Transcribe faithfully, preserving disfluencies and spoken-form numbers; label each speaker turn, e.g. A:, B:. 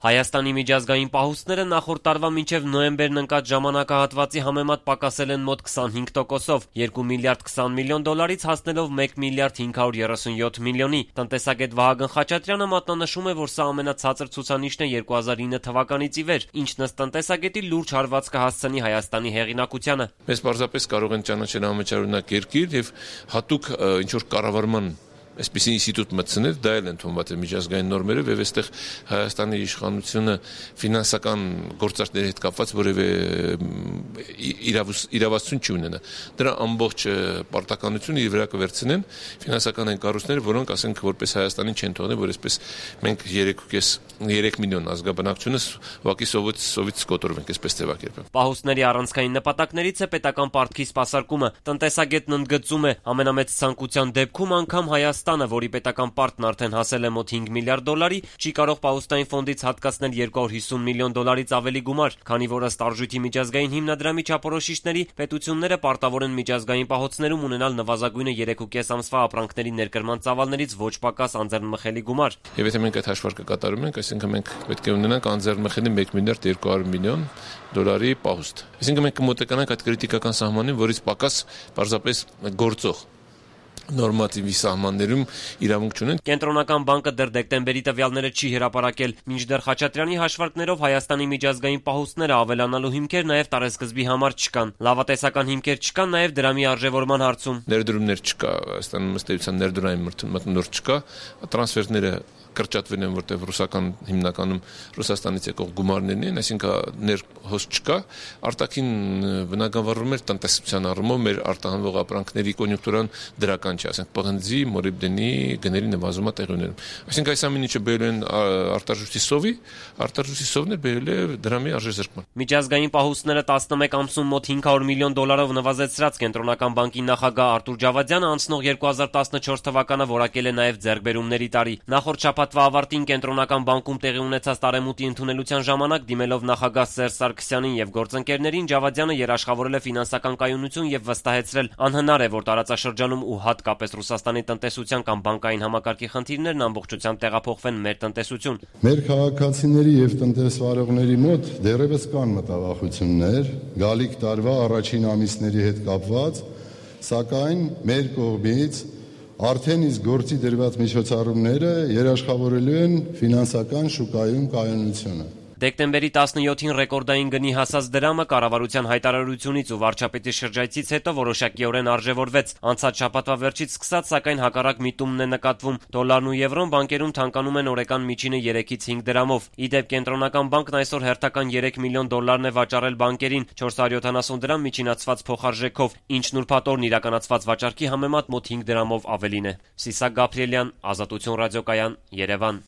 A: Հայաստանի միջազգային պահուստները նախորդ տարվա մինչև նոյեմբերն ընկած ժամանակահատվածի համեմատ պակասել են մոտ քսանհինգ տոկոսով, երկու միլիարդ քսան միլիոն դոլարից հասնելով մեկ միլիարդ հինգ հարյուր երեսունյոթ միլիոնի։ Տնտեսագետ Վահագն Խաչատրյանը մատնանշում է, որ սա ամենացածր ցուցանիշն է երկու հազար ինը թվականից ի վեր, ինչն ըստ տնտեսագետի լուրջ հարված կհասցնի Հայաստանի հեղինակությանը։
B: Մեզ պարզապես կարող են ճանաչել համաճարունակ երկիր եւ հատուկ ինչ-որ կառավարման այսպիսի ինստիտուտ մտցնել, դա էլ ընդունված է միջազգային նորմերով եւ այստեղ Հայաստանի իշխանությունը ֆինանսական գործարքների հետ կապված որևէ իրավասություն չի ունենա։ Դրա ամբողջ պարտականությունը իր վրա կվերցնեն ֆինանսական այն կառույցները, որոնք ասենք որպես Հայաստանին չեն թողնել, որ այսպես մենք երեք միլիոն ազգաբնակչությունս ուղղակի սովից սովից կոտրվենք, այսպես ձևակերպեմ։
A: Պահուստների առանցքային նպատակներից է պետական պարտքի սպասարկումը։ Տնտեսագետն ընդգծում է, ամենամեծ ցանկության դեպքում անգամ Հայաստանը, որի պետական պարտքն արդեն հասել է մոտ հինգ միլիարդ դոլարի, չի կարող պահուստային ֆոնդից հատկացնել երկու հարյուր հիսուն միլիոն դոլարից ավելի գումար, քանի որ ըստ Արժույթի միջազգային հիմնադրամի չափորոշիչների պետությունները պարտավոր են միջազգային պահոցներում ունենալ նվազագույնը երեք ու կես ամսվա ապրանքների ներկրման ծավալներից ոչ պակաս անձեռնմխելի գումար։
B: Եվ եթե մենք այդ հաշվարկը կատարում ենք, այսինքն մենք պետք է ունենանք անձեռնմխելի մեկ միլիարդ երկու հարյուր միլիոն դոլարի պահուստ։ Այսինքն մենք կմոտենանք այդ քրիտիկական սահմանին, որից պակաս պարզապես գործող նորմատիվի սահմաններում իրավունք չունեն։
A: Կենտրոնական բանկը դեռ դեկտեմբերի տվյալները չի հրապարակել, մինչդեռ Խաչատրյանի հաշվարկներով Հայաստանի միջազգային պահուստները ավելանալու հիմքեր նաև տարեսկզբի համար չկան։ Լավատեսական հիմքեր չկան նաև դրամի արժևորման հարցում։
B: Ներդրումներ չկա, Հայաստանում ըստ էության ներդրային մթնոլորտ չկա, տրանսֆերները կրճատվել են, որտեղ ռուսական հիմնականում Ռուսաստանից եկող գումարներն են, այսինքն ներհոս չկա, արտաքին բնագավառում էր տնտեսության առումով մեր արտահանվող ապրանքների կոնյունկտուրան դրական չէ, ասենք պղնձի, մոլիբդենի գների նվազումը տեղի ունենում։ Այսինքն այս ամեն ինչը բերել են արտարժույթի սովի, արտարժույթի սովն է բերել է դրամի արժեզրկման։
A: Միջազգային պահուստները տասնմեկ ամսում մոտ հինգ հարյուր միլիոն դոլարով նվազեցրած Կենտրոնական բանկի նախագահ Արտուր Ջավադյանը անցնող երկու հազար տասնչորս թվականը որակել է նաև ձեռքբերումների տարի։ Նախորդ շաբաթվա ավարտին Կենտրոնական բանկում տեղի ունեցած տարեմուտի ընդունելության ժամանակ դիմելով նախագահ Սերժ Սարգսյանին եւ գործընկերներին Ջավադյանը երաշխավորել է ֆինանսական կայունություն եւ վստահեցրել անհնար է, որ տարածաշրջանում ու հատկապես Ռուսաստանի տնտեսության կամ բանկային համակարգի խնդիրներն ամբողջությամբ տեղափոխվեն մեր տնտեսություն։
C: Մեր քաղաքացիների եւ տնտեսվարողների մոտ դեռևս կան մտավախություններ գալիք տարվա առաջին ամիսների հետ կապված, սակայն մեր կողմից արդեն իսկ գործի դրված միջոցառումները երաշխավորելու են ֆինանսական շուկայում կայունությունը։
A: Դեկտեմբերի տասնյոթին ռեկորդային գնի հասած դրամը կառավարության հայտարարությունից ու վարչապետի շրջայցից հետո որոշակիորեն արժևորվեց։ Անցած շաբաթվա վերջից սկսած, սակայն հակառակ միտումն է նկատվում։ Դոլարն ու եվրոն բանկերում թանկանում են օրական միջինը երեքից հինգ դրամով։ Ի դեպ Կենտրոնական բանկն այսօր հերթական երեք միլիոն դոլարն է վաճառել բանկերին չորս հարյուր յոթանասուն դրամ միջինացված փոխարժեքով, ինչն ուրբաթօրն իրականացված վաճառքի համեմատ մոտ հինգ դրամով ավելին է։ Սիսակ Գաբրիելյան, Ազատություն ռադիոկայան, Երևան։